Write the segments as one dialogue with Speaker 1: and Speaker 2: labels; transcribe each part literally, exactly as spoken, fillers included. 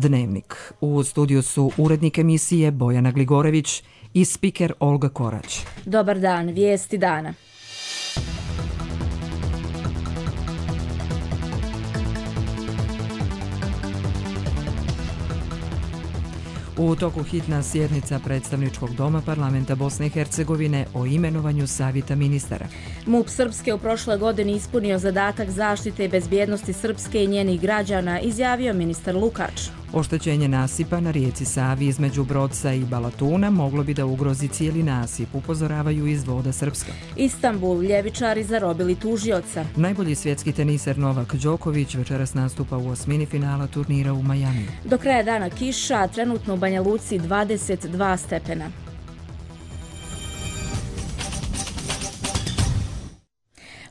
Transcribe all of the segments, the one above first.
Speaker 1: Dnevnik. U studiju su urednik emisije Bojana Gligorević i spiker Olga Korać.
Speaker 2: Dobar dan, vijesti dana.
Speaker 1: U toku hitna sjednica Predstavničkog doma Parlamenta Bosne i Hercegovine o imenovanju savjeta ministara.
Speaker 2: MUP Srpske u prošloj godini ispunio zadatak zaštite i bezbjednosti Srpske i njenih građana, izjavio ministar Lukač.
Speaker 1: Oštećenje nasipa na rijeci Savi između Brodca i Balatuna moglo bi da ugrozi cijeli nasip, upozoravaju iz Voda Srpska.
Speaker 2: Istanbul, ljevičari zarobili tužioca.
Speaker 1: Najbolji svjetski teniser Novak Đoković večeras nastupa u osmini finala turnira u Majamiju.
Speaker 2: Do kraja dana kiša, trenutno u Banja Luci dvadeset dva stepena.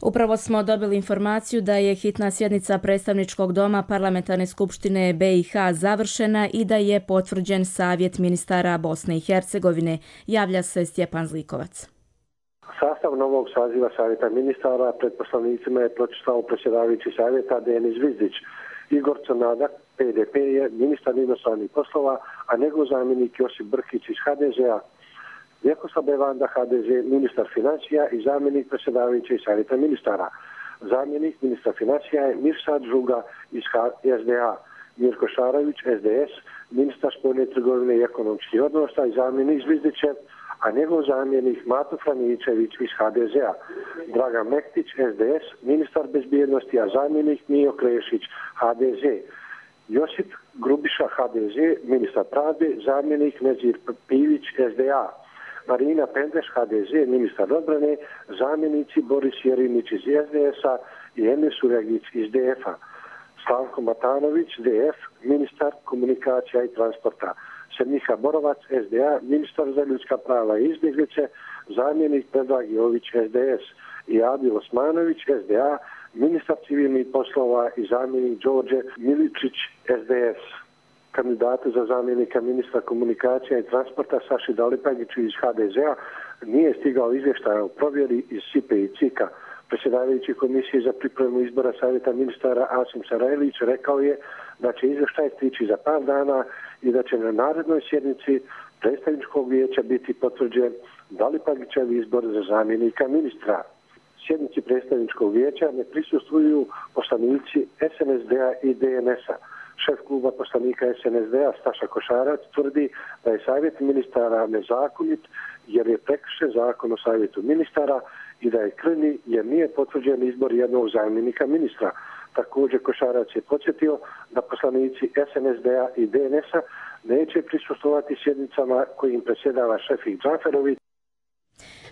Speaker 2: Upravo smo dobili informaciju da je hitna sjednica Predstavničkog doma Parlamentarne skupštine B i H završena i da je potvrđen savjet ministara Bosne i Hercegovine, javlja se Stjepan Zlikovac.
Speaker 3: Sastav novog saziva savjeta ministara pred poslanicima je pročitao predsjedavajući savjeta Denis Zvizdić. Igor Crnadak, P D P, je ministar inostranih poslova, a njegov zamjenik Josip Brkić iz H D Z-a. Vjekoslav Bevanda, H D Z, ministar financija i zamjenik predsjedavajućeg savjeta ministara. Zamjenik ministra financija je Mirsad Žuga iz S D A. Mirko Šarović, S D S, ministar spoljne trgovine i ekonomskih odnosa i zamjenik Zvizdićev, a njegov zamjenik Mato Franičević iz H D Z-a. Dragan Mektić, S D S, ministar bezbjednosti, a zamjenik Mijo Krešić, H D Z. Josip Grubiša, H D Z, ministar pravde, zamjenik Nezir Pivić, S D A. Marina Pendeš, H D Z, ministar odbrane, zamjenici Boris Jerinić iz S D S-a i Emir Surjagić iz D F-a. Slavko Matanović, D F, ministar komunikacija i transporta. Semniha Borovac, S D A, ministar za ljudska prava i izbjeglice, zamjenik Predrag Jović, S D S. I Adil Osmanović, S D A, ministar civilnih poslova i zamjenik Đorđe Miličić, S D S. Kandidatu za zamjenika ministra komunikacija i transporta Saši Dalipagiću iz H D Z-a nije stigao izvještaj o provjeri iz S I P-a i C I K-a. Predsjedavajući komisije za pripremu izbora savjeta ministara Asim Sarajlić rekao je da će izvještaj stići za par dana i da će na narednoj sjednici predstavničkog vijeća biti potvrđen Dalipagićev izbor za zamjenika ministra. Sjednici predstavničkog vijeća ne prisustvuju poslanici S N S D-a i D N S-a. Šef kluba poslanika S N S D-a Staša Košarac tvrdi da je savjet ministara nezakonit jer je prekršen zakon o savjetu ministara i da je krnji jer nije potvrđen izbor jednog zamjenika ministra. Također Košarac je podsjetio da poslanici S N S D-a i D N S-a neće prisustvovati sjednicama kojim predsjedava Šefik Džaferović.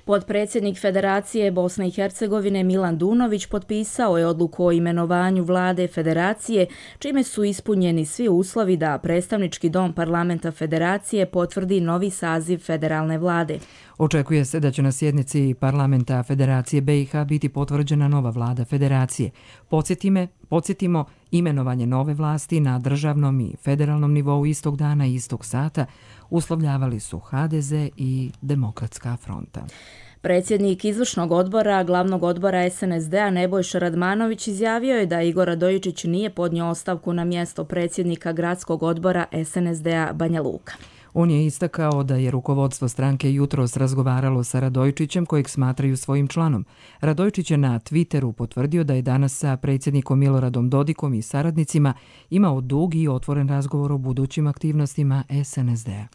Speaker 2: Potpredsjednik Federacije Bosne i Hercegovine Milan Dunović potpisao je odluku o imenovanju vlade Federacije, čime su ispunjeni svi uslovi da predstavnički dom parlamenta Federacije potvrdi novi saziv federalne vlade.
Speaker 1: Očekuje se da će na sjednici parlamenta Federacije B i H biti potvrđena nova vlada Federacije. Podsjetime, podsjetimo, imenovanje nove vlasti na državnom i federalnom nivou istog dana i istog sata uslovljavali su H D Z i Demokratska fronta.
Speaker 2: Predsjednik izvršnog odbora glavnog odbora S N S D-a Nebojša Radmanović izjavio je da Igor Radojičić nije podnio ostavku na mjesto predsjednika gradskog odbora S N S D-a Banja Luka.
Speaker 1: On je istakao da je rukovodstvo stranke jutros razgovaralo sa Radojičićem, kojeg smatraju svojim članom. Radojičić je na Twitteru potvrdio da je danas sa predsjednikom Miloradom Dodikom i saradnicima imao dug i otvoren razgovor o budućim aktivnostima S N S D-a.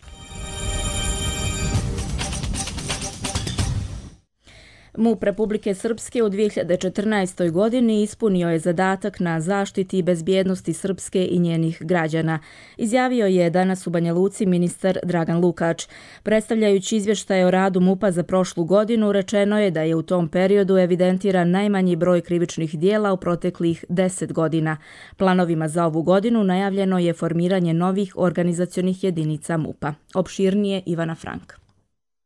Speaker 2: MUP Republike Srpske u dvije hiljade četrnaestoj. godini ispunio je zadatak na zaštiti i bezbjednosti Srpske i njenih građana, izjavio je danas u Banja Luci ministar Dragan Lukač. Predstavljajući izvještaj o radu MUP-a za prošlu godinu, rečeno je da je u tom periodu evidentiran najmanji broj krivičnih dijela u proteklih deset godina. Planovima za ovu godinu najavljeno je formiranje novih organizacionih jedinica MUP-a. Opširnije Ivana Frank.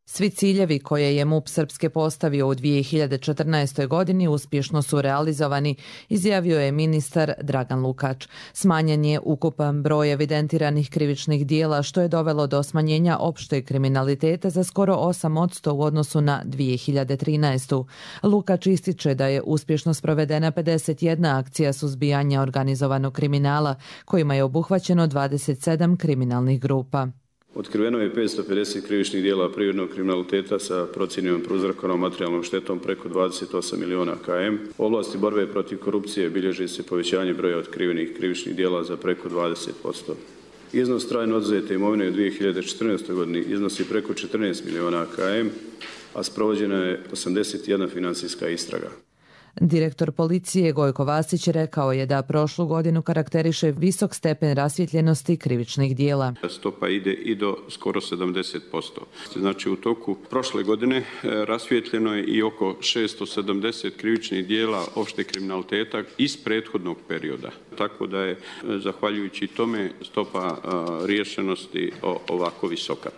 Speaker 4: Svi ciljevi koje je MUP Srpske postavio u dvije hiljade četrnaestoj. godini uspješno su realizovani, izjavio je ministar Dragan Lukač. Smanjen je ukupan broj evidentiranih krivičnih dijela, što je dovelo do smanjenja opšteg kriminaliteta za skoro osam posto u odnosu na dvije hiljade trinaestu. Lukač ističe da je uspješno sprovedena pedeset jedna akcija suzbijanja organizovanog kriminala, kojima je obuhvaćeno dvadeset sedam kriminalnih grupa.
Speaker 5: Otkriveno je petsto pedeset krivičnih dijela privrednog kriminaliteta sa procjenjenom prouzrokovanom materijalnom štetom preko dvadeset osam miliona km. U oblasti borbe protiv korupcije bilježi se povećanje broja otkrivenih krivičnih dijela za preko dvadeset posto. Iznos trajno oduzete imovine u dvije hiljade četrnaestoj. godini iznosi preko četrnaest miliona km, a sprovođena je osamdeset jedna financijska istraga.
Speaker 4: Direktor policije Gojko Vasić rekao je da prošlu godinu karakteriše visok stepen rasvjetljenosti krivičnih dijela.
Speaker 6: Stopa ide i do skoro sedamdeset posto. Znači u toku prošle godine rasvjetljeno je i oko šesto sedamdeset krivičnih dijela opšteg kriminaliteta iz prethodnog perioda. Tako da je zahvaljujući tome stopa riješenosti ovako visoka.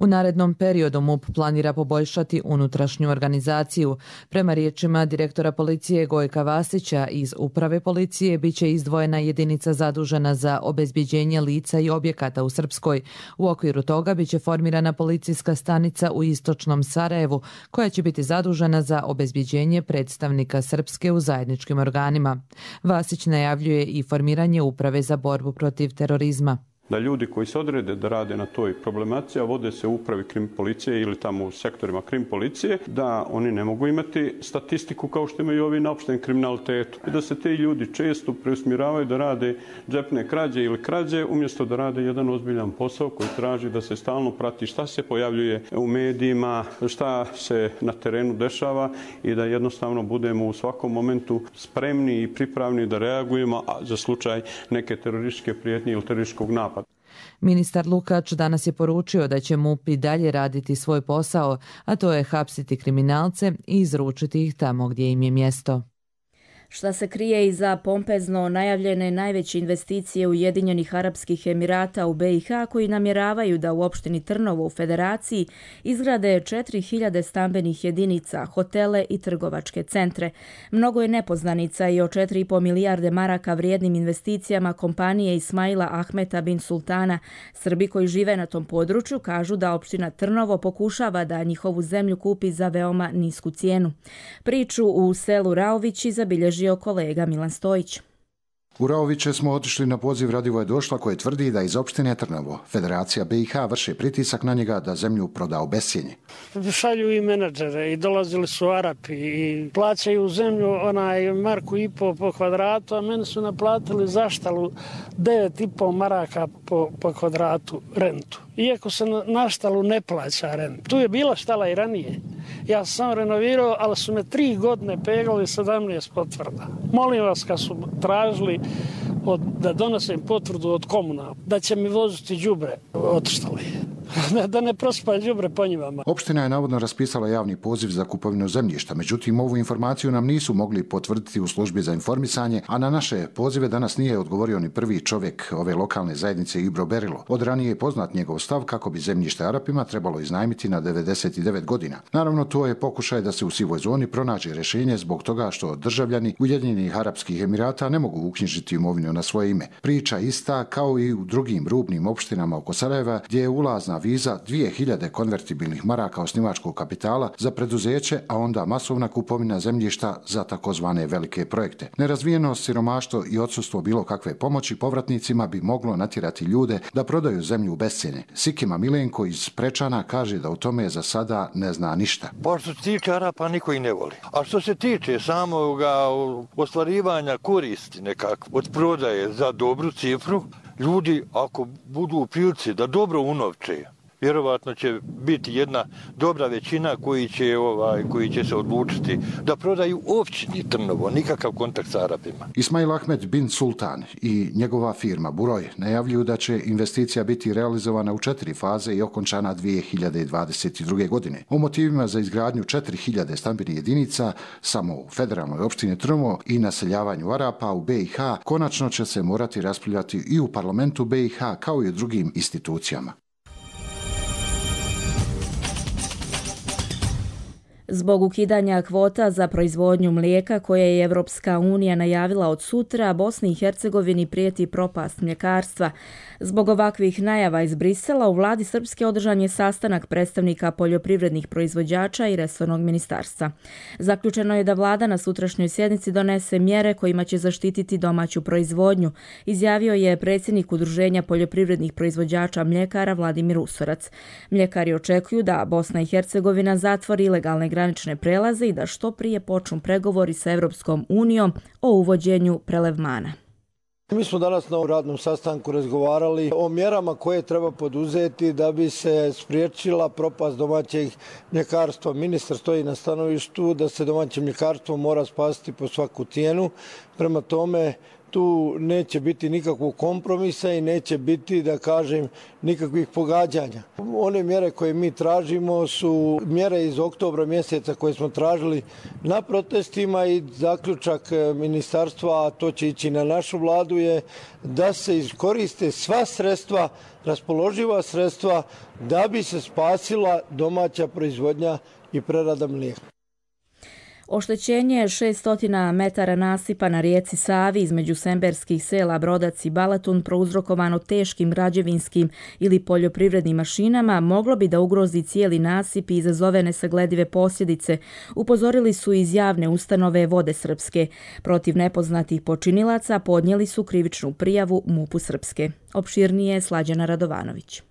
Speaker 4: U narednom periodu MUP planira poboljšati unutrašnju organizaciju. Prema riječima direktora policije Gojka Vasića, iz uprave policije biće izdvojena jedinica zadužena za obezbjeđenje lica i objekata u Srpskoj. U okviru toga biće formirana policijska stanica u istočnom Sarajevu, koja će biti zadužena za obezbjeđenje predstavnika Srpske u zajedničkim organima. Vasić najavljuje i formiranje uprave za borbu protiv terorizma.
Speaker 6: Da ljudi koji se odrede da rade na toj problematici, a vode se u upravi krim policije ili tamo u sektorima krim policije, da oni ne mogu imati statistiku kao što imaju ovi na opštem kriminalitetu. I da se te ljudi često preusmjeravaju da rade džepne krađe ili krađe, umjesto da rade jedan ozbiljan posao koji traži da se stalno prati šta se pojavljuje u medijima, šta se na terenu dešava i da jednostavno budemo u svakom momentu spremni i pripravni da reagujemo za slučaj neke terorističke prijetnje ili terorističkog napada.
Speaker 4: Ministar Lukač danas je poručio da će MUP i dalje raditi svoj posao, a to je hapsiti kriminalce i izručiti ih tamo gdje im je mjesto.
Speaker 2: Šta se krije iza pompezno najavljene najveće investicije Ujedinjenih Arapskih Emirata u B i H, koji namjeravaju da u opštini Trnovo u Federaciji izgrade četiri hiljade stambenih jedinica, hotele i trgovačke centre. Mnogo je nepoznanica i o četiri i po milijarde maraka vrijednim investicijama kompanije Ismaila Ahmeta bin Sultana. Srbi koji žive na tom području kažu da opština Trnovo pokušava da njihovu zemlju kupi za veoma nisku cijenu. Priču u selu Raovići zabilježi kolega Milan Stojić.
Speaker 7: U Raoviće smo otišli na poziv Radivoje Došla, koje tvrdi da iz opštine Trnovo Federacija B i H vrše pritisak na njega da zemlju proda u bescjenje.
Speaker 8: Šalju i menadžere i dolazili su Arapi i plaćaju zemlju onaj marku i po po kvadratu, a meni su naplatili zaštalu devet i po maraka po, po kvadratu rentu. Iako se na, na štalu ne plaća rent. Tu je bila štala i ranije. Ja sam renovirao, ali su me tri godine pegali sedamnaest potvrda. Molim vas, kad su tražili od, da donesem potvrdu od komunala, da će mi voziti đubre, otištali. Da ne prospa đubre po njivama.
Speaker 7: Opština je navodno raspisala javni poziv za kupovinu zemljišta, međutim ovu informaciju nam nisu mogli potvrditi u službi za informisanje, a na naše pozive danas nije odgovorio ni prvi čovjek ove lokalne zajednice Ibro Berilo. Od ranije je poznat njegov stav kako bi zemljište Arapima trebalo iznajmiti na devedeset devet godina. Naravno, to je pokušaj da se u sivoj zoni pronađe rješenje zbog toga što državljani Ujedinjenih Arapskih Emirata ne mogu uknjižiti imovinu na svoje ime. Priča ista kao i u drugim rubnim opštinama oko Sarajeva, gdje je ulazna viza dvije hiljade konvertibilnih maraka osnivačkog kapitala za preduzeće, a onda masovna kupovina zemljišta za takozvane velike projekte. Nerazvijenost, siromaštvo i odsustvo bilo kakve pomoći povratnicima bi moglo natjerati ljude da prodaju zemlju u bescjenje. Sikima Milenko iz Prečana kaže da o tome za sada ne zna ništa.
Speaker 9: Pa što se tiče Arapa, niko ih ne voli. A što se tiče samog ostvarivanja koristi nekako od prodaje za dobru cifru, ljudi ako budu u prilici da dobro unovče, vjerovatno će biti jedna dobra većina koji će, ovaj, koji će se odlučiti da prodaju općini Trnovo, nikakav kontakt sa Arapima.
Speaker 7: Ismail Ahmed bin Sultan i njegova firma Buroj najavljuju da će investicija biti realizovana u četiri faze i okončana dvije hiljade dvadeset druge. godine. O motivima za izgradnju četiri hiljade stambenih jedinica samo u federalnoj opštini Trnovo i naseljavanju Arapa u B i H konačno će se morati raspravljati i u parlamentu B i H kao i u drugim institucijama.
Speaker 2: Zbog ukidanja kvota za proizvodnju mlijeka koje je Evropska unija najavila od sutra, Bosni i Hercegovini prijeti propast mljekarstva. Zbog ovakvih najava iz Brisela u vladi Srpske održan je sastanak predstavnika poljoprivrednih proizvođača i resornog ministarstva. Zaključeno je da vlada na sutrašnjoj sjednici donese mjere kojima će zaštititi domaću proizvodnju, izjavio je predsjednik Udruženja poljoprivrednih proizvođača mljekara Vladimir Usorac. Mljekari očekuju da Bosna i Hercegovina zatvori ilegalne granične prelaze i da što prije počnu pregovori sa Evropskom unijom o uvođenju prelevmana.
Speaker 10: Mi smo danas na radnom sastanku razgovarali o mjerama koje treba poduzeti da bi se spriječila propast domaćeg mljekarstva. Ministar stoji na stanovištu da se domaće mljekarstvo mora spasiti po svaku cijenu. Prema tome, tu neće biti nikakvog kompromisa i neće biti, da kažem, nikakvih pogađanja. One mjere koje mi tražimo su mjere iz oktobra mjeseca koje smo tražili na protestima i zaključak ministarstva, a to će ići na našu vladu, je da se iskoriste sva sredstva, raspoloživa sredstva, da bi se spasila domaća proizvodnja i prerada mlijeka.
Speaker 2: Oštećenje šesnaest metara nasipa na rijeci Savi između semberskih sela Brodac i Balatun prouzrokovano teškim građevinskim ili poljoprivrednim mašinama moglo bi da ugrozi cijeli nasip i izazove nesagledive posljedice, upozorili su iz javne ustanove Vode Srpske. Protiv nepoznatih počinilaca podnijeli su krivičnu prijavu MUP-u Srpske. Opširnije Slađana Radovanović.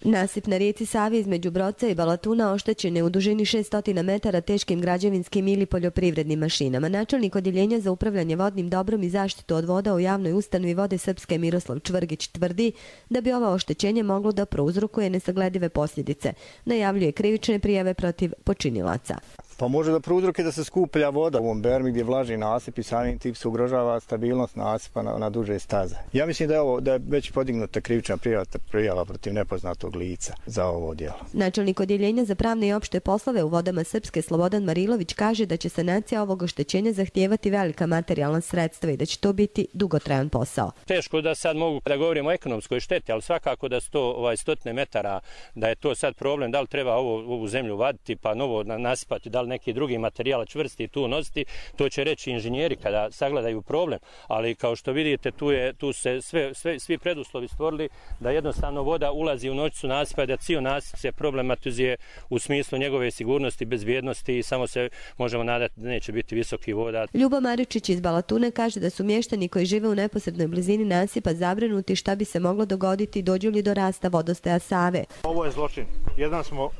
Speaker 11: Nasip na rijeci Savi između Brodca i Balatuna oštećen je u dužini šesnaest metara teškim građevinskim ili poljoprivrednim mašinama. Načelnik Odjeljenja za upravljanje vodnim dobrom i zaštitu od voda u javnoj ustanovi Vode Srpske Miroslav Čvrgić tvrdi da bi ovo oštećenje moglo da prouzrokuje nesagledive posljedice. Najavljuje krivične prijave protiv počinilaca.
Speaker 12: Pa može da prouzroke da se skuplja voda u ovom bermi gdje je vlažni nasip i samim tim se ugrožava stabilnost nasipa na, na duže staze. Ja mislim da je, ovo, da je već podignuta krivična prijava, prijava protiv nepoznatog lica za ovo djelo.
Speaker 11: Načelnik Odjeljenja za pravne i opšte poslove u Vodama Srpske Slobodan Marilović kaže da će sanacija ovog oštećenja zahtijevati velika materijalna sredstva i da će to biti dugotrajan posao.
Speaker 13: Teško da sad mogu da govorimo o ekonomskoj šteti, ali svakako da sto ovaj stotine metara, da je to sad problem, da li treba ovo, ovu zemlju vaditi pa novo nasipati, da li neki drugi materijal čvrsti tu nositi, to će reći inženjeri kada sagledaju problem, ali kao što vidite tu je tu se sve, sve svi preduslovi stvorili da jednostavno voda ulazi u noćicu nasipa, da cijel nasip se problematizuje u smislu njegove sigurnosti, bezbjednosti i samo se možemo nadati da neće biti visoki voda.
Speaker 11: Ljubo Maričić iz Balatune kaže da su mještani koji žive u neposrednoj blizini nasipa zabrinuti šta bi se moglo dogoditi dođu li do rasta vodostaja Save.
Speaker 14: Ovo je zločin. Jedan smo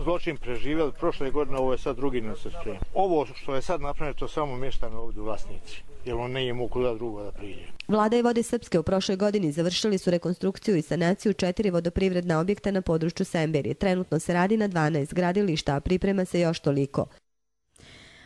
Speaker 14: zločin preživjeli prošle godine, ovo je sad drugi nasrčenje. Ovo što je sad napravljeno, to samo mještani ovdje vlasnici, jer on nije mogu kuda drugo da priđe.
Speaker 11: Vlada i Vode Srpske u prošloj godini završili su rekonstrukciju i sanaciju četiri vodoprivredna objekta na području Semberije. Trenutno se radi na dvanaest gradilišta, a priprema se još toliko.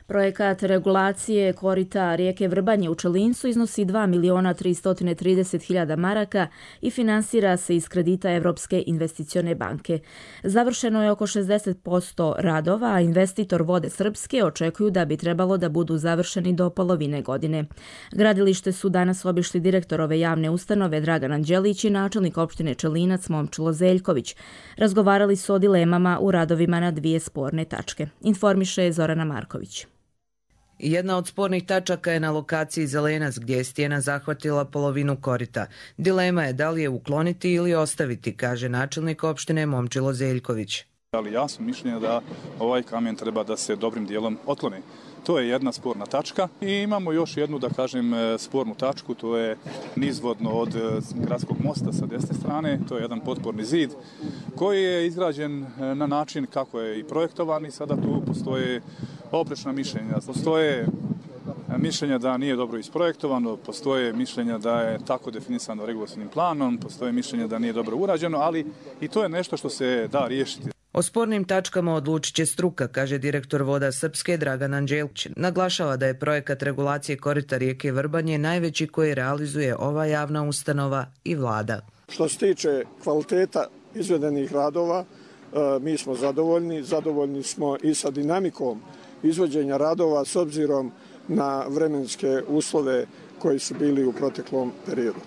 Speaker 2: Projekat regulacije korita rijeke Vrbanje u Čelincu iznosi dva miliona tristo trideset hiljada maraka i finansira se iz kredita Evropske investicione banke. Završeno je oko šezdeset posto radova, a investitor Vode Srpske očekuju da bi trebalo da budu završeni do polovine godine. Gradilište su danas obišli direktor ove javne ustanove Dragan Anđelić i načelnik opštine Čelinac Momčilo Zeljković. Razgovarali su o dilemama u radovima na dvije sporne tačke. Informiše Zorana Marković.
Speaker 15: Jedna od spornih tačaka je na lokaciji Zelenac gdje je stijena zahvatila polovinu korita. Dilema je da li je ukloniti ili ostaviti, kaže načelnik opštine Momčilo Zeljković.
Speaker 16: Ali ja sam mišljenja da ovaj kamen treba da se dobrim dijelom otkloni. To je jedna sporna tačka i imamo još jednu, da kažem, spornu tačku, to je nizvodno od gradskog mosta sa desne strane, to je jedan potporni zid koji je izgrađen na način kako je i projektovan i sada tu postoje oprečna mišljenja. Postoje mišljenja da nije dobro isprojektovano, postoje mišljenja da je tako definisano regulatornim planom, postoje mišljenja da nije dobro urađeno, ali i to je nešto što se da riješiti.
Speaker 15: O spornim tačkama odlučit će struka, kaže direktor Voda Srpske Dragan Anđelić. Naglašava da je projekat regulacije korita rijeke Vrbanje najveći koji realizuje ova javna ustanova i vlada.
Speaker 17: Što se tiče kvaliteta izvedenih radova, mi smo zadovoljni. Zadovoljni smo i sa dinamikom izvođenja radova s obzirom na vremenske uslove koji su bili u proteklom periodu.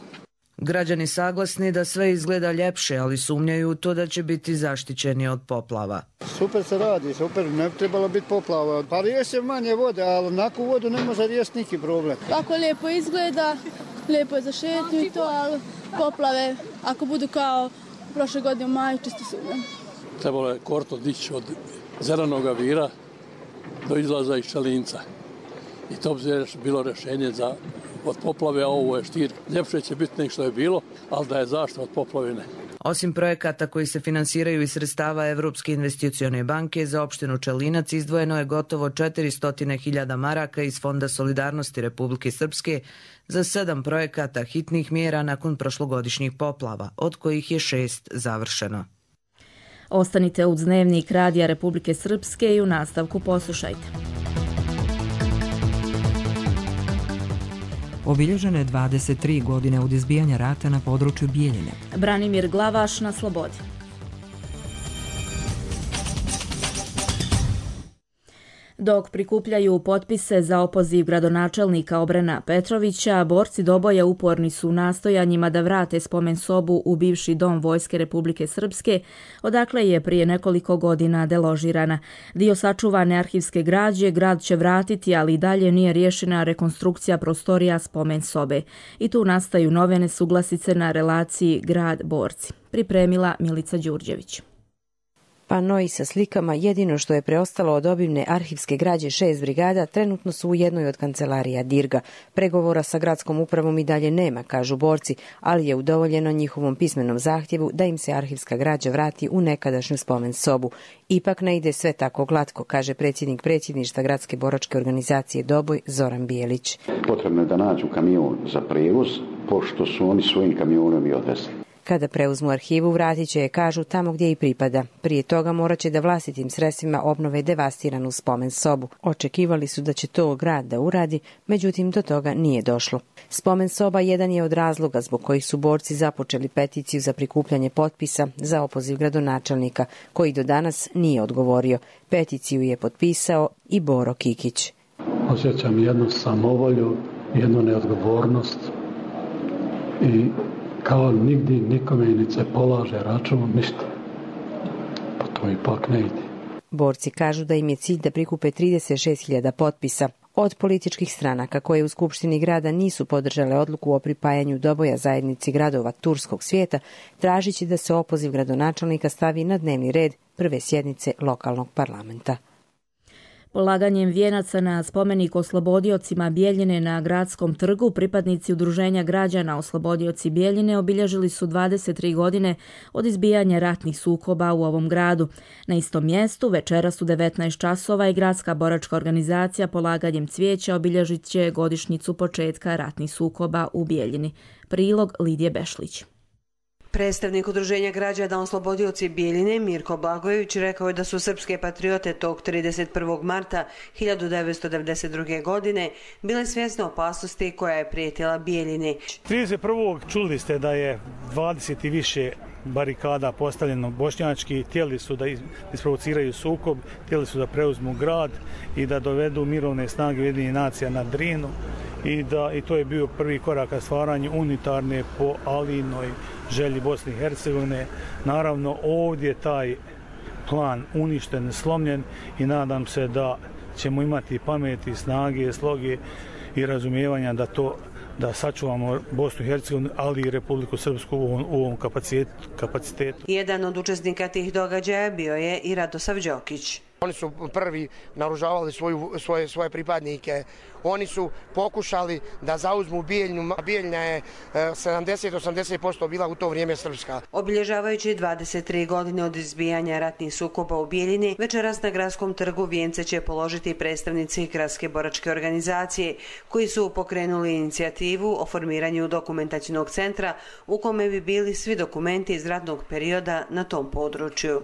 Speaker 15: Građani saglasni da sve izgleda ljepše, ali sumnjaju u to da će biti zaštićeni od poplava.
Speaker 18: Super se radi, super, ne bi trebalo biti poplava. Pa riješi manje vode, ali onakvu vodu ne može riješiti neki problem.
Speaker 19: Tako lijepo izgleda, lijepo je za šetnju i to, ali poplave, ako budu kao prošle godine u maju, čisto sumnjam.
Speaker 20: Trebalo je korto dići od Zelenog vira do izlaza iz Čelinca. I to bi bilo rješenje za od poplave, a ovo je Štir. Ljepše će biti nego što je bilo, ali da je zaštita od poplavine.
Speaker 15: Osim projekata koji se finansiraju iz sredstava Evropske investicione banke, za opštinu Čelinac izdvojeno je gotovo četiristo hiljada maraka iz Fonda solidarnosti Republike Srpske za sedam projekata hitnih mjera nakon prošlogodišnjih poplava, od kojih je šest završeno.
Speaker 2: Ostanite uz Dnevnik Radija Republike Srpske i u nastavku poslušajte.
Speaker 1: Obilježene dvadeset tri godine od izbijanja rata na području Bijeljine.
Speaker 2: Branimir Glavaš na slobodi. Dok prikupljaju potpise za opoziv gradonačelnika Obrena Petrovića, borci Doboja uporni su u nastojanjima da vrate spomen sobu u bivši dom Vojske Republike Srpske, odakle je prije nekoliko godina deložirana. Dio sačuvane arhivske građe grad će vratiti, ali i dalje nije riješena rekonstrukcija prostorija spomen sobe. I tu nastaju nove nesuglasice na relaciji grad-borci. Pripremila Milica Đurđević.
Speaker 21: Panoi sa slikama, jedino što je preostalo od obimne arhivske građe šest brigada, trenutno su u jednoj od kancelarija Dirga. Pregovora sa gradskom upravom i dalje nema, kažu borci, ali je udovoljeno njihovom pismenom zahtjevu da im se arhivska građa vrati u nekadašnju spomen sobu. Ipak ne ide sve tako glatko, kaže predsjednik predsjedništva gradske boračke organizacije Doboj Zoran Bijelić.
Speaker 22: Potrebno je da nađu kamion za prevoz, pošto su oni svojim kamionom i odnesli.
Speaker 21: Kada preuzmu arhivu, vratit će je, kažu, tamo gdje i pripada. Prije toga morat će da vlastitim sredstvima obnove devastiranu spomen sobu. Očekivali su da će to grad da uradi, međutim do toga nije došlo. Spomen soba jedan je od razloga zbog kojih su borci započeli peticiju za prikupljanje potpisa za opoziv gradonačelnika, koji do danas nije odgovorio. Peticiju je potpisao i Boro Kikić.
Speaker 23: Osjećam jednu samovolju, jednu neodgovornost i kao nigdje nikome ni se polaže račun, ništa. Pa to ipak ne ide.
Speaker 21: Borci kažu da im je cilj da prikupe trideset šest hiljada potpisa. Od političkih stranaka koje u Skupštini grada nisu podržale odluku o pripajanju Doboja zajednici gradova turskog svijeta, tražići da se opoziv gradonačelnika stavi na dnevni red prve sjednice lokalnog parlamenta.
Speaker 2: Polaganjem vijenaca na spomenik oslobodiocima Bijeljine na Gradskom trgu, pripadnici Udruženja građana Oslobodioci Bijeljine obilježili su dvadeset tri godine od izbijanja ratnih sukoba u ovom gradu. Na istom mjestu večeras u devetnaest časova i Gradska boračka organizacija polaganjem cvijeća obilježit će godišnjicu početka ratnih sukoba u Bijeljini. Prilog Lidije Bešlić.
Speaker 24: Predstavnik Udruženja građana Oslobodioci Bijeljine Mirko Blagojević rekao je da su srpske patriote tog trideset prvog marta hiljadu devetsto devedeset druge. godine bile svjesne opasnosti koja je prijetila Bijeljini.
Speaker 25: trideset prvog čuli ste da je dvadeset i više barikada postavljeno bošnjački, htjeli su da isprovociraju sukob, htjeli su da preuzmu grad i da dovedu mirovne snage Ujedinjenih nacija na Drinu i, da, i to je bio prvi korak ka stvaranju unitarne po Alinoj želji Bosne i Hercegovine. Naravno ovdje taj plan uništen, slomljen i nadam se da ćemo imati pameti, snage, sloge i razumijevanja da to da sačuvamo Bosnu i Hercegovinu, ali i Republiku Srpsku u ovom, u ovom kapacitetu.
Speaker 24: Jedan od učesnika tih događaja bio je i Radosav Đokić.
Speaker 26: Oni su prvi naoružavali svoju, svoje, svoje pripadnike. Oni su pokušali da zauzmu Bijeljnu. Bijeljna je sedamdeset do osamdeset posto bila u to vrijeme srpska.
Speaker 24: Obilježavajući dvadeset tri godine od izbijanja ratnih sukoba u Bijeljini, večeras na Gradskom trgu vijence će položiti predstavnici Gradske boračke organizacije, koji su pokrenuli inicijativu o formiranju dokumentacijnog centra u kome bi bili svi dokumenti iz ratnog perioda na tom području.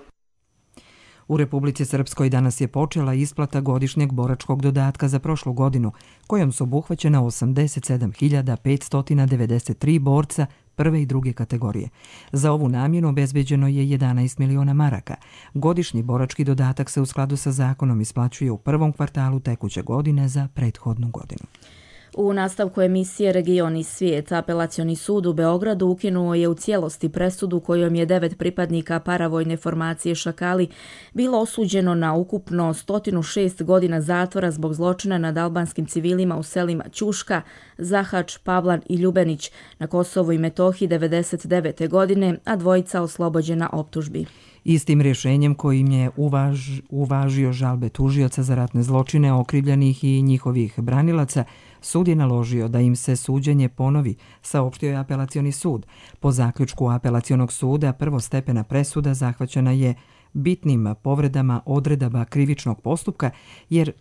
Speaker 1: U Republici Srpskoj danas je počela isplata godišnjeg boračkog dodatka za prošlu godinu, kojom su obuhvaćena osamdeset sedam hiljada petsto devedeset tri borca prve i druge kategorije. Za ovu namjenu obezbeđeno je jedanaest miliona maraka. Godišnji borački dodatak se u skladu sa zakonom isplaćuje u prvom kvartalu tekuće godine za prethodnu godinu.
Speaker 2: U nastavku emisije Region i svijet, apelacioni sud u Beogradu ukinuo je u cijelosti presudu kojom je devet pripadnika paravojne formacije Šakali bilo osuđeno na ukupno sto šest godina zatvora zbog zločina nad albanskim civilima u selima Ćuška, Zahač, Pavlan i Ljubenić na Kosovu i Metohiji devedeset devete godine, a dvojica oslobođena optužbi.
Speaker 1: Istim rješenjem kojim je uvaž, uvažio žalbe tužioca za ratne zločine okrivljenih i njihovih branilaca, sud je naložio da im se suđenje ponovi, saopštio je apelacioni sud. Po zaključku apelacionog suda prvostepena presuda zahvaćena je bitnim povredama odredaba krivičnog postupka, jer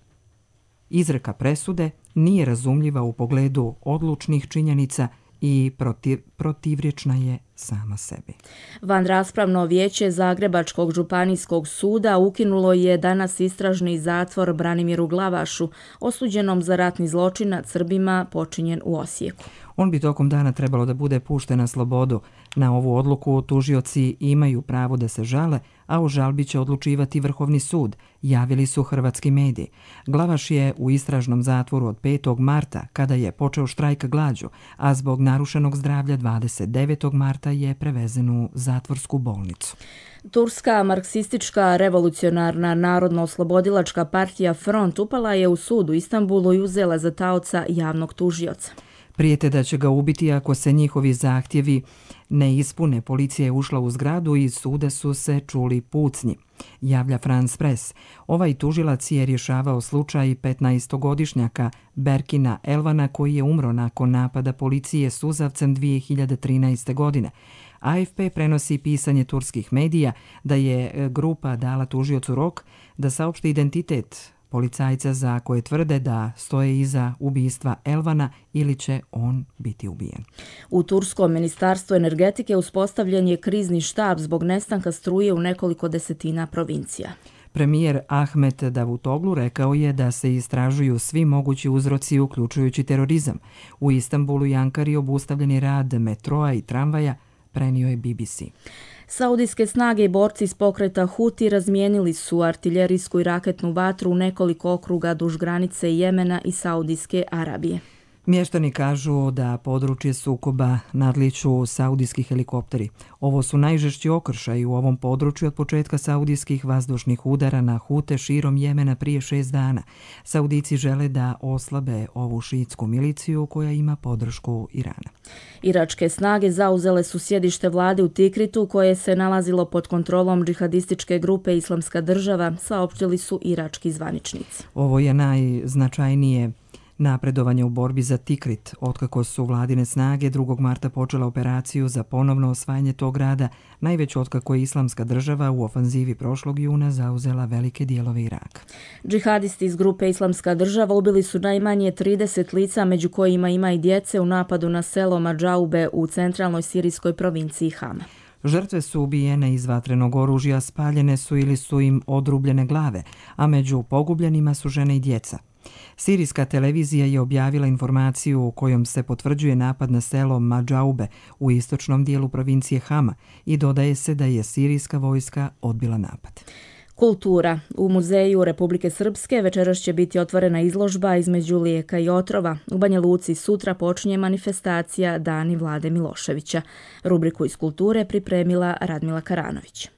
Speaker 1: izreka presude nije razumljiva u pogledu odlučnih činjenica i protiv, protivrječna je sama sebi.
Speaker 2: Vanraspravno vijeće Zagrebačkog županijskog suda ukinulo je danas istražni zatvor Branimiru Glavašu, osuđenom za ratni zločin nad Srbima počinjen u Osijeku.
Speaker 1: On bi tokom dana trebalo da bude pušten na slobodu. Na ovu odluku tužioci imaju pravo da se žale, a o žalbi će odlučivati Vrhovni sud, javili su hrvatski mediji. Glavaš je u istražnom zatvoru od petog marta, kada je počeo štrajk glađu, a zbog narušenog zdravlja dvadeset devetog marta je prevezen u zatvorsku bolnicu.
Speaker 2: Turska marksistička revolucionarna narodno-oslobodilačka partija Front upala je u sud u Istanbulu i uzela za taoca javnog tužioca.
Speaker 1: Prijete da će ga ubiti ako se njihovi zahtjevi ne ispune. Policija je ušla u zgradu i iz suda su se čuli pucnji, javlja France Press. Ovaj tužilac je rješavao slučaj petnaestogodišnjaka Berkina Elvana koji je umro nakon napada policije suzavcem dvije hiljade trinaeste. godine. A F P prenosi pisanje turskih medija da je grupa dala tužiocu rok da saopšti identitet policajca za koje tvrde da stoje iza ubistva Elvana ili će on biti ubijen.
Speaker 2: U Turskom ministarstvu energetike uspostavljen je krizni štab zbog nestanka struje u nekoliko desetina provincija.
Speaker 1: Premijer Ahmet Davutoglu rekao je da se istražuju svi mogući uzroci uključujući terorizam. U Istanbulu i Ankari obustavljen je rad metroa i tramvaja, prenio je B B C.
Speaker 2: Saudijske snage i borci iz pokreta Huti razmijenili su artiljerijsku i raketnu vatru u nekoliko okruga duž granice Jemena i Saudijske Arabije.
Speaker 1: Mještani kažu da područje sukoba nadliču saudijski helikopteri. Ovo su najžešći okršaji u ovom području od početka saudijskih vazdušnih udara na Hute širom Jemena prije šest dana. Saudici žele da oslabe ovu šiitsku miliciju koja ima podršku Irana.
Speaker 2: Iračke snage zauzele su sjedište vlade u Tikritu koje se nalazilo pod kontrolom džihadističke grupe Islamska država, saopštili su irački zvaničnici.
Speaker 1: Ovo je najznačajnije napredovanje u borbi za Tikrit, otkako su vladine snage drugog marta počela operaciju za ponovno osvajanje tog grada, najveć otkako je Islamska država u ofanzivi prošlog juna zauzela velike dijelove Iraka.
Speaker 2: Džihadisti iz grupe Islamska država ubili su najmanje trideset lica, među kojima ima i djece, u napadu na selo Madžaube u centralnoj sirijskoj provinciji Hama.
Speaker 1: Žrtve su ubijene iz vatrenog oružja, spaljene su ili su im odrubljene glave, a među pogubljenima su žene i djeca. Sirijska televizija je objavila informaciju u kojom se potvrđuje napad na selo Madžaube u istočnom dijelu provincije Hama i dodaje se da je sirijska vojska odbila napad.
Speaker 2: Kultura. U Muzeju Republike Srpske večeras će biti otvorena izložba između lijeka i otrova. U Banja Luci sutra počinje manifestacija Dani Vlade Miloševića. Rubriku iz kulture pripremila Radmila Karanović.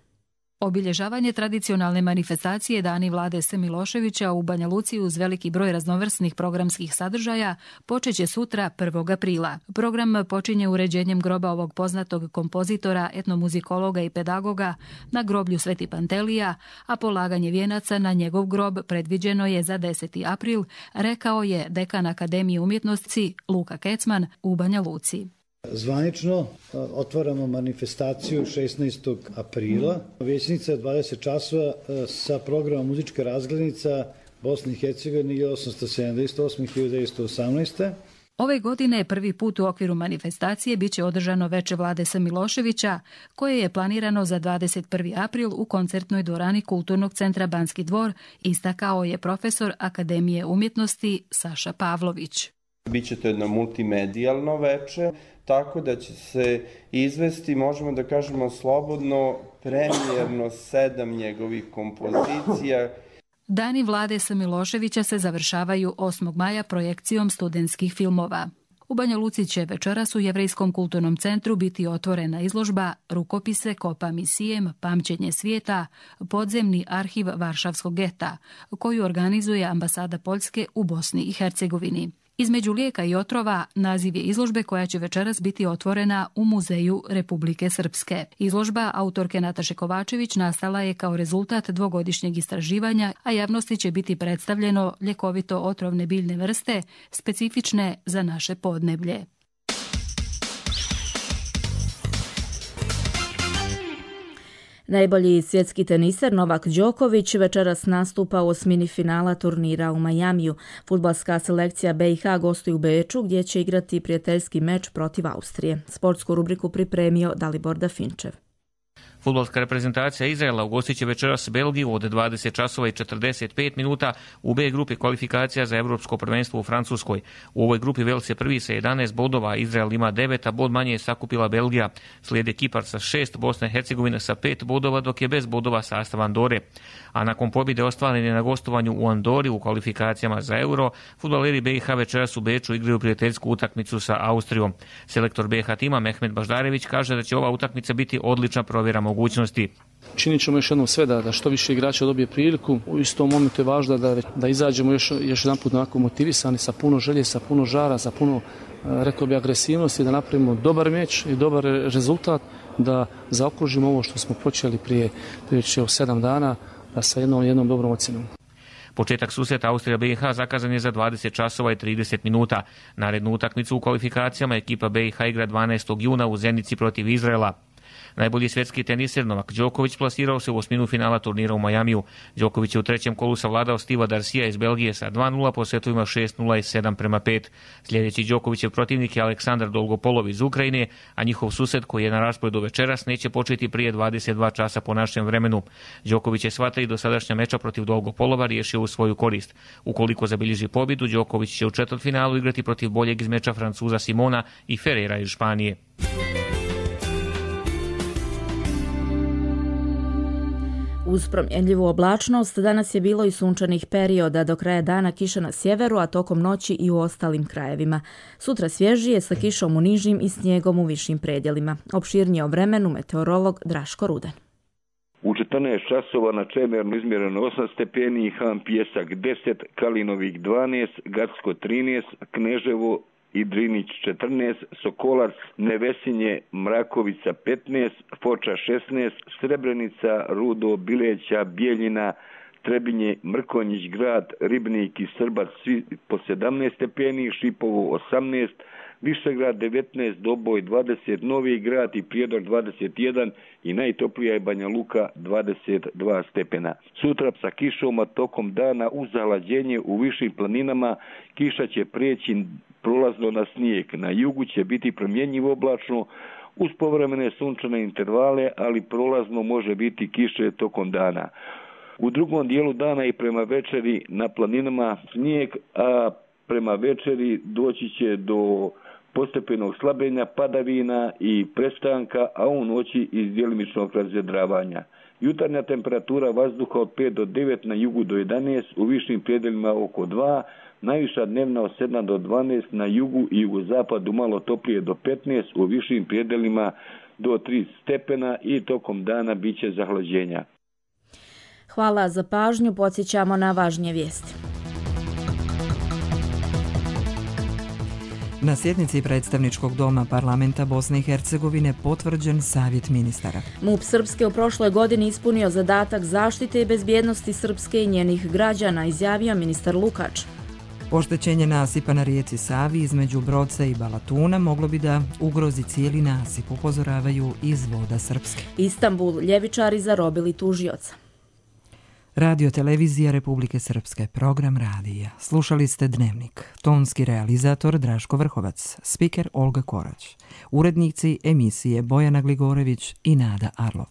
Speaker 3: Obilježavanje tradicionalne manifestacije Dani Vlade S. Miloševića u Banja Luci uz veliki broj raznovrsnih programskih sadržaja počeće sutra prvog aprila. Program počinje uređenjem groba ovog poznatog kompozitora, etnomuzikologa i pedagoga na groblju Sveti Pantelija, a polaganje vijenaca na njegov grob predviđeno je za deseti april, rekao je dekan Akademije umjetnosti Luka Kecman u Banja Luci.
Speaker 4: Zvanično otvaramo manifestaciju šesnaestog aprila. Vječnica je dvadeset časova sa programom muzička razglednica Bosne i Hercegovine hiljadu osamsto sedamdeset osme do hiljadu devetsto osamnaeste.
Speaker 3: Ove godine prvi put u okviru manifestacije biće održano veče Vlade S. Miloševića, koje je planirano za dvadeset prvi april u koncertnoj dvorani Kulturnog centra Banski dvor, istakao je profesor Akademije umjetnosti Saša Pavlović.
Speaker 5: Biće to jedno multimedijalno veče, tako da će se izvesti, možemo da kažemo slobodno, premijerno sedam njegovih kompozicija.
Speaker 3: Dani vlade S. Miloševića se završavaju osmog maja projekcijom studentskih filmova. U Banja Luci će večeras u Jevrejskom kulturnom centru biti otvorena izložba Rukopise Kopa Misijem, pamćenje svijeta, podzemni arhiv Varšavskog geta, koju organizuje ambasada Poljske u Bosni i Hercegovini. Između lijeka i otrova naziv je izložbe koja će večeras biti otvorena u Muzeju Republike Srpske. Izložba autorke Nataše Kovačević nastala je kao rezultat dvogodišnjeg istraživanja, a javnosti će biti predstavljeno ljekovito otrovne biljne vrste specifične za naše podneblje.
Speaker 2: Najbolji svjetski teniser Novak Đoković večeras nastupa u osmini finala turnira u Majamiju. Fudbalska selekcija B i H gostuje u Beču gdje će igrati prijateljski meč protiv Austrije. Sportsku rubriku pripremio Dalibor Dafinčev.
Speaker 6: Fudbalska reprezentacija Izraela ugostit će večeras Belgiju od dvadeset časova i četrdeset pet minuta u B grupi kvalifikacija za Evropsko prvenstvo u Francuskoj. U ovoj grupi Vels je prvi sa jedanaest bodova, Izrael ima devet, a bod manje je sakupila Belgija. Slijede Kipar sa šest, Bosna i Hercegovina sa pet bodova, dok je bez bodova sastav Andore. A nakon pobjede ostvarene na gostovanju u Andori u kvalifikacijama za Euro, fudbaleri B i H večeras u Beču igraju prijateljsku utakmicu sa Austrijom. Selektor B i H tima Mehmet Baždarević kaže da će ova utakmica biti odlična provjera mogućnosti.
Speaker 7: Činit ćemo još jednom sve da, da što više igrača dobije priliku. U istom momentu je važno da, da izađemo još, još jedan put onako motivisani, sa puno želje, sa puno žara, sa puno, rekao bi, agresivnosti, da napravimo dobar meč i dobar rezultat, da zaokružimo ovo što smo počeli prije, prije sedam dana, da sa jednom, jednom dobrom ocjenom.
Speaker 6: Početak susreta Austrija B i H zakazan je za dvadeset časova i trideset minuta. Narednu utakmicu u kvalifikacijama ekipa B i H igra dvanaestog juna u Zenici protiv Izraela. Najbolji svjetski teniser Novak Đoković plasirao se u osminu finala turnira u Majamiju. Đoković je u trećem kolu savladao Stiva Darsija iz Belgije sa dva nula po setovima šest nula i sedam prema pet. Sljedeći Đokovićev protivnik je Aleksandar Dolgopolov iz Ukrajine, a njihov sused koji je na rasporedu večeras neće početi prije dvadeset dva časa po našem vremenu. Đoković je sva tri dosadašnja meča protiv Dolgopolova riješio u svoju korist. Ukoliko zabilježi pobjedu, Đoković će u četvrtfinalu igrati protiv boljeg iz meča Francuza Simona i Ferreira iz Španije.
Speaker 2: Uz promjenljivu oblačnost danas je bilo i sunčanih perioda, do kraja dana kiša na sjeveru, a tokom noći i u ostalim krajevima. Sutra svježije sa kišom u nižim i snijegom u višim predjelima. Opširnije o vremenu meteorolog Draško Rudan.
Speaker 8: U četrnaest časova na Čemernu izmjereno osam stepeni, Han Pjesak deset, Kalinovik dvanaest, Gacko trinaest, Kneževo i Drinić četrnaest, Sokolac, Nevesinje, Mrakovica petnaest, Foča šesnaest, Srebrenica, Rudo, Bileća, Bijeljina, Trebinje, Mrkonjić grad, Ribnik i Srbac svi po sedamnaest stepeni, Šipovo osamnaest, Višegrad devetnaest, Doboj dvadeset, Novi grad i Prijedor dvadeset jedan i najtoplija je Banja Luka dvadeset dva stepena. Sutra sa kišom, a tokom dana uz zahlađenje u višim planinama kiša će prijeći prolazno na snijeg. Na jugu će biti promjenjivo oblačno uz povremene sunčane intervale, ali prolazno može biti kiše tokom dana. U drugom dijelu dana i prema večeri na planinama snijeg, a prema večeri doći će do postepenog slabljenja padavina i prestanka, a u noći iz djelimičnog razvedravanja. Jutarnja temperatura vazduha od pet do devet, na jugu do jedanaest, u višim predjelima oko dva, najviša dnevna od sedam do dvanaest, na jugu i jugozapadu malo toplije do petnaest, u višim predjelima do tri stepena i tokom dana bit će zahlađenja.
Speaker 2: Hvala za pažnju, podsjećamo na važnije vijesti.
Speaker 1: Na sjednici predstavničkog doma parlamenta Bosne i Hercegovine potvrđen savjet ministara.
Speaker 2: MUP Srpske u prošloj godini ispunio zadatak zaštite i bezbjednosti Srpske i njenih građana, izjavio ministar Lukač.
Speaker 1: Oštećenje nasipa na rijeci Savi između Broca i Balatuna moglo bi da ugrozi cijeli nasip, upozoravaju iz Voda Srpske.
Speaker 2: Istanbul, ljevičari zarobili tužioca.
Speaker 1: Radio televizija Republike Srpske, program radija. Slušali ste Dnevnik. Tonski realizator Draško Vrhovac, spiker Olga Korać. Urednici emisije Bojana Gligorević i Nada Arlov.